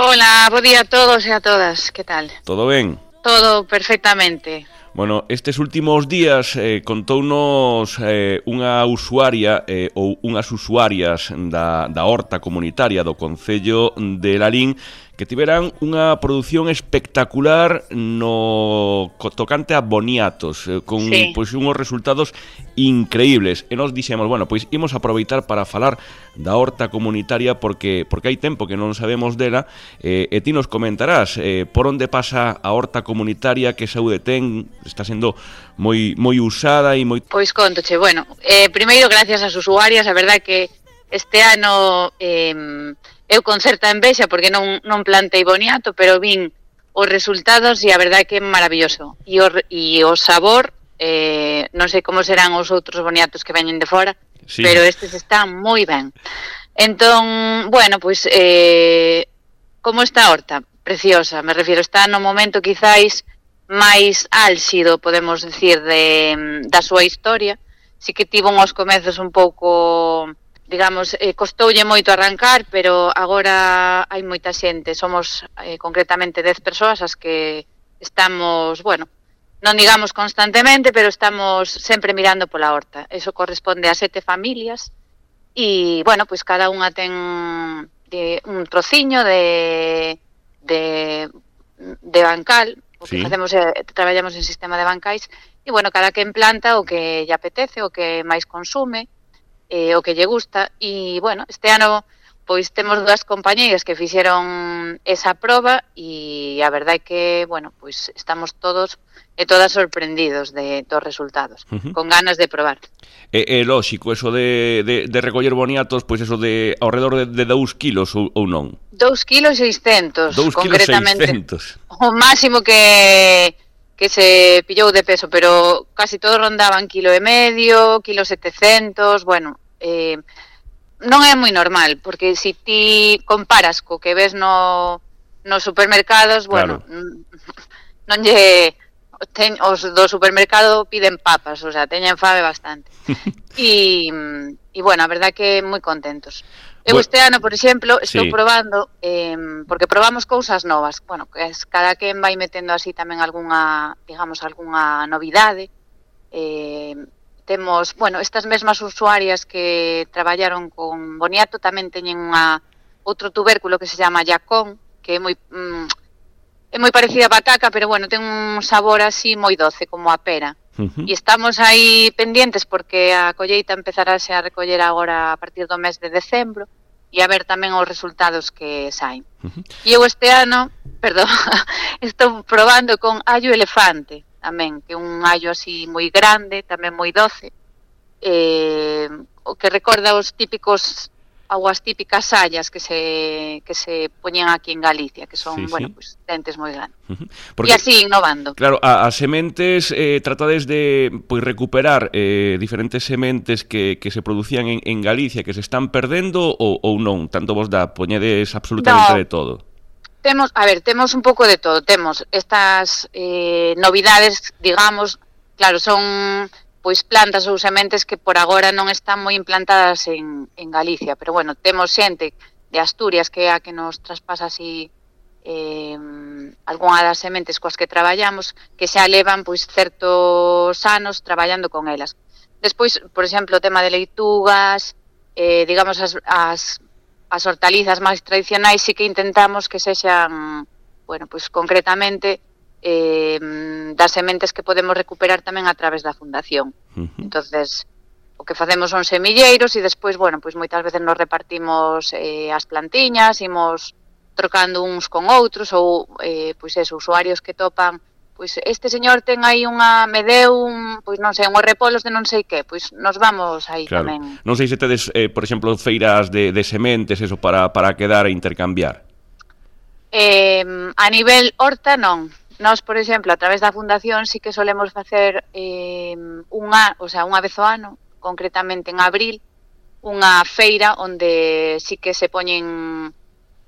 Hola, bo día a todos e a todas, que tal? Todo ben? Todo perfectamente. Bueno, estes últimos días contounos unha usuaria ou unhas usuarias da horta comunitaria do Concello de Lalín que tiveran unha produción espectacular no tocante a boniatos, con pois unhos resultados increíbles. E nos dixemos, bueno, pois imos aproveitar para falar da horta comunitaria porque hai tempo que non sabemos dela, e ti nos comentarás por onde pasa a horta comunitaria, que saúde ten, está sendo moi usada e moi... Pois contoche, bueno, primeiro gracias ás usuarias, a verdade que este ano eu con certa envexa porque non plantei boniato, pero vin os resultados e a verdade que é maravilloso. E o sabor, non sei como serán os outros boniatos que veñen de fora, sí, pero estes están moi ben. Entón, bueno, pois, como está a horta? Preciosa, me refiero, está no momento quizáis máis álxido, podemos decir, da súa historia. Si que tivo uns comezos un pouco, digamos, costoulle moito arrancar, pero agora hai moita xente, somos concretamente 10 persoas as que estamos, bueno, non digamos constantemente, pero estamos sempre mirando pola horta. Eso corresponde a 7 familias e, bueno, pois cada unha ten un trociño de bancal. O que facemos é, traballamos en sistema de bancais, e, bueno, cada quen planta o que lle apetece, o que máis consume, o que lle gusta, e, bueno, este ano, pois, temos 2 compañeiras que fixeron esa proba, e a verdade é que, bueno, pois, estamos todos e todas sorprendidos dos resultados, con ganas de probar. É lóxico, eso de recoller boniatos, pois eso de ao redor de 2 kilos ou non? 2,6 kg, concretamente. 2,6 kg. O máximo que se pillou de peso, pero casi todos rondaban 1,5 kg, 1,7 kg, bueno, non é moi normal, porque se ti comparas co que ves nos supermercados, bueno, non lle... os do supermercado piden papas, o sea, teñen fame bastante. E bueno, a verdade que moi contentos. Eu este ano, por exemplo, estou probando, porque probamos cousas novas, bueno, que cada quen vai metendo así tamén algunha, digamos, algunha novidade. Temos, bueno, estas mesmas usuarias que traballaron con boniato tamén teñen outro tubérculo que se chama yacón, que é moi parecida a pataca, pero bueno, ten un sabor así moi doce, como a pera. E estamos aí pendientes porque a colleita empezarase a recoller agora a partir do mes de decembro e a ver tamén os resultados que saen. E eu este ano, estou probando con allo elefante tamén, que é un allo así moi grande, tamén moi doce, o que recorda os típicos as típicas sallas que se poñen aquí en Galicia, que son, bueno, pues dentes moi grandes. E así innovando. Claro, as sementes tratades de recuperar diferentes sementes que se producían en Galicia, que se están perdendo ou non? Tanto vos poñedes absolutamente de todo? Temos un pouco de todo. Temos estas novidades, digamos, claro, son... pois plantas ou sementes que por agora non están moi implantadas en Galicia, pero bueno, temos xente de Asturias que é a que nos traspasa así algunha das sementes coas que traballamos, que xa levan pois certos anos traballando con elas. Despois, por exemplo, o tema de leitugas, digamos as hortalizas máis tradicionais, sí que intentamos que sexan, bueno, pois concretamente das sementes que podemos recuperar tamén a través da fundación. Entonces, o que facemos son semilleiros e despois, bueno, pois moitas veces nos repartimos as plantiñas, imos trocando uns con outros ou, pois eso, usuarios que topan, pois este señor ten aí me deu pois non sei, unhos repolos de non sei que, pois nos vamos aí tamén. Non sei se tedes, por exemplo, feiras de sementes, eso, para quedar e intercambiar. A nivel horta, non. Nós, por exemplo, a través da fundación sí que solemos facer unha vez ao ano, concretamente en abril, unha feira onde sí que se poñen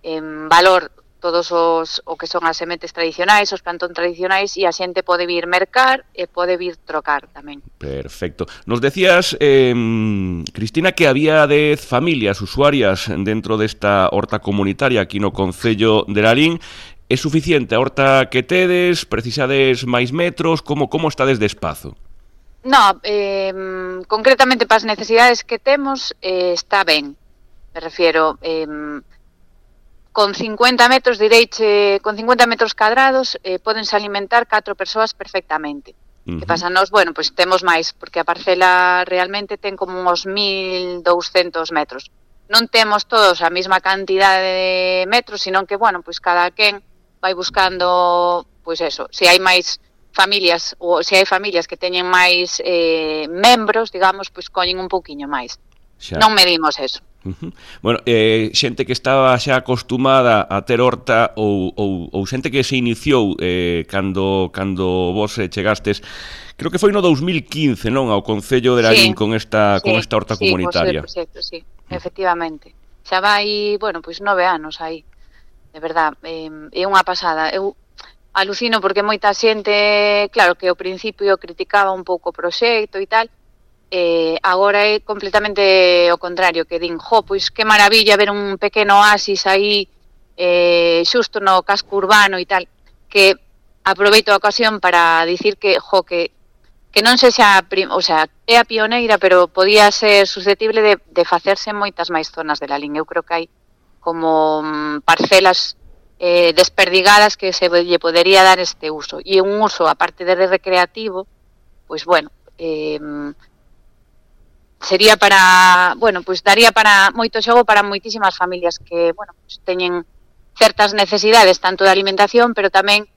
en valor todos o que son as sementes tradicionais, os plantón tradicionais, e a xente pode vir mercar e pode vir trocar tamén. Perfecto. Nos decías, Cristina, que había 10 familias usuarias dentro desta horta comunitaria aquí no concello de Lalín. É suficiente a horta que tedes? Precisades máis metros? Como estades de espazo? No, concretamente para as necesidades que temos está ben. Me refiero, con 50 metros, direiche, con 50 metros cadrados podense alimentar 4 persoas perfectamente. Que pasa nos, bueno, pois temos máis, porque a parcela realmente ten como uns 1.200 metros. Non temos todos a mesma cantidade de metros, sino que, bueno, pois cada quen vai buscando, pois eso, se hai máis familias, ou se hai familias que teñen máis membros, digamos, pois coñen un pouquiño máis. Xa. Non medimos eso. Bueno, xente que estaba xa acostumada a ter horta ou xente que se iniciou cando vos chegastes, creo que foi no 2015, non, ao Concello de Lalín, con esta horta comunitaria. Sí, efectivamente. Xa vai, bueno, pois 9 anos aí, de verdad, é unha pasada. Eu alucino porque moita xente, claro, que ao principio criticaba un pouco o proxecto e tal, agora é completamente o contrario, que din, pois que maravilla ver un pequeno oasis aí xusto no casco urbano e tal, que aproveito a ocasión para dicir que non sexa, o sea, é a pioneira, pero podía ser susceptible de facerse en moitas máis zonas de Lalín. Eu creo que hai como parcelas desperdigadas que se lle podería dar este uso, e un uso, aparte de recreativo, pois bueno, sería para, bueno, pois daría para moito xogo para moitísimas familias que, bueno, pois teñen certas necesidades tanto de alimentación, pero tamén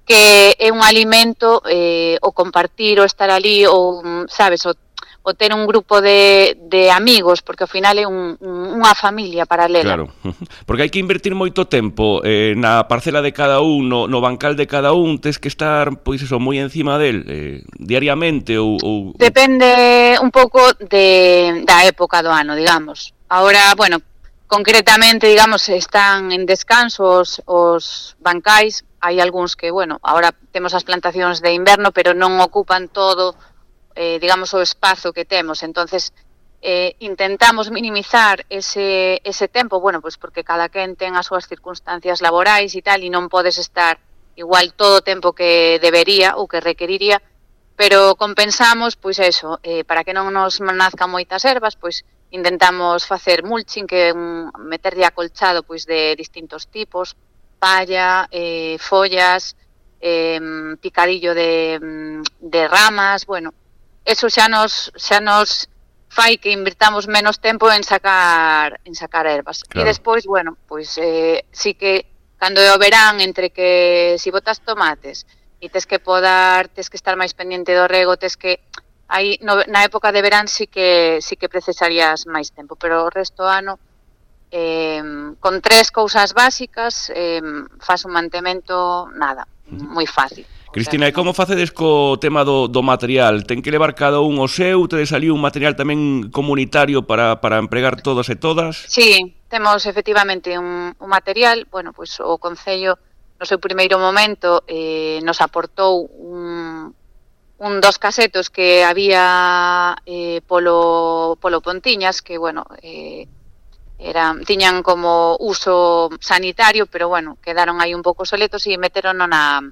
que é un alimento o compartir, o estar ali, ou, sabes, o ter un grupo de amigos, porque ao final é unha familia paralela. Claro, porque hai que invertir moito tempo na parcela de cada un, no bancal de cada un, tes que estar, pois eso, moi encima del, diariamente ou... Depende un pouco da época do ano, digamos. Ahora, bueno, concretamente, digamos, están en descanso os bancais. Hai algúns que, bueno, ahora temos as plantacións de inverno, pero non ocupan todo, digamos, o espazo que temos. Entonces, intentamos minimizar ese tempo, bueno, pues porque cada quen ten as súas circunstancias laborais e tal, e non podes estar igual todo o tempo que debería ou que requeriría, pero compensamos, pois eso, para que non nos nazcan moitas ervas, pois intentamos facer mulching, que é meterlle acolchado pois de distintos tipos, palla, follas, picadillo de ramas, bueno, eso xa nos fai que invirtamos menos tempo en sacar ervas. Claro. E despois, bueno, pois sí que cando é o verán, entre que si botas tomates e tes que podar, tes que estar máis pendiente do rego, tes que aí na época de verán sí que precisarías máis tempo, pero o resto do ano con 3 cousas básicas faz un mantemento moi fácil. Cristina, e como facedes co tema do material? Ten que levar cada un o seu? Tedes ali un material tamén comunitario para empregar todos e todas? Sí, temos efectivamente un material, bueno, pois o Concello no seu primeiro momento nos aportou un dos casetos que había polo Pontiñas, que, bueno, tiñan como uso sanitario, pero, bueno, quedaron aí un pouco soletos e meteron na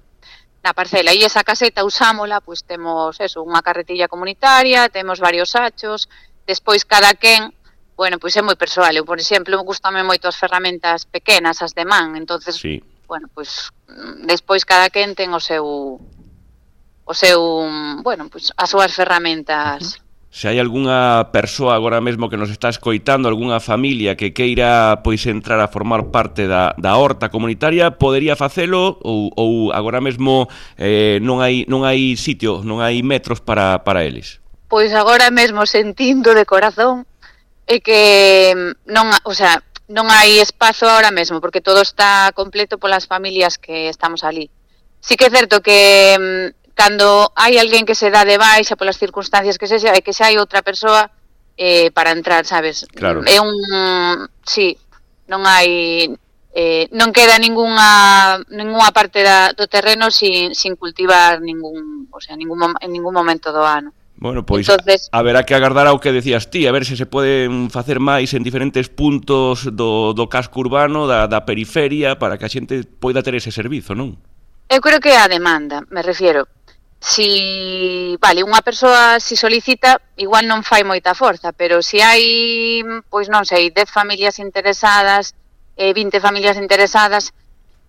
parcela. E esa caseta usámola, pois temos eso, unha carretilla comunitaria, temos varios sachos, despois cada quen, bueno, pois é moi persoal. Eu, por exemplo, gustame moito as ferramentas pequenas, as de man, entonces, sí. Bueno, pois despois cada quen ten o seu, bueno, pois as súas ferramentas. Se hai algunha persoa agora mesmo que nos está escoitando, algunha familia que queira pois entrar a formar parte da horta comunitaria, podería facelo ou agora mesmo non hai sitio, non hai metros para eles? Pois agora mesmo sentindo de corazón é que non hai espazo agora mesmo, porque todo está completo polas familias que estamos ali. Sí que é certo que cando hai alguén que se dá de baixa polas circunstancias que sexa, é que xa hai outra persoa para entrar, sabes? Claro. Sí, non hai non queda ningunha parte do terreno sin cultivar en ningún momento do ano. Bueno, pois entonces, haberá que agardar ao que decías ti, a ver se poden facer máis en diferentes puntos do casco urbano, da periferia, para que a xente poida ter ese servizo, non? Eu creo que a demanda, me refiero. Vale, unha persoa se solicita, igual non fai moita forza, pero se hai, pois non sei, 10 familias interesadas, 20 familias interesadas,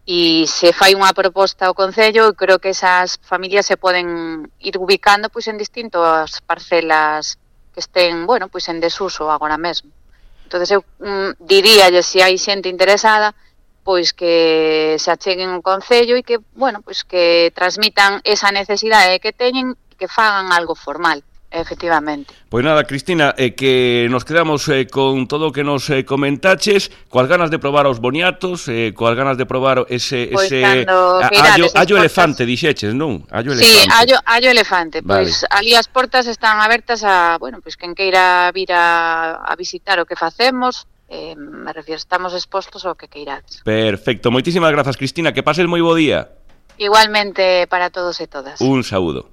e se fai unha proposta ao Concello, creo que esas familias se poden ir ubicando pois en distintas parcelas que estén, bueno, pois en desuso agora mesmo. Entonces eu diríalle, se hai xente interesada, pois que se acheguen ao Concello e que, bueno, pois que transmitan esa necesidade que teñen e que fagan algo formal. Efectivamente. Pois nada, Cristina, que nos quedamos con todo o que nos comentaches, coas ganas de probar os boniatos, coas ganas de probar ese allo elefante, dixeches, non? Allo elefante. Sí, allo elefante. Vale. Pois ali as portas están abertas a, bueno, pois quen queira vir a visitar o que facemos, me refiero, estamos expostos ao que queirades. Perfecto, moitísimas grazas, Cristina, que pases moi bo día. Igualmente para todos e todas. Un saúdo.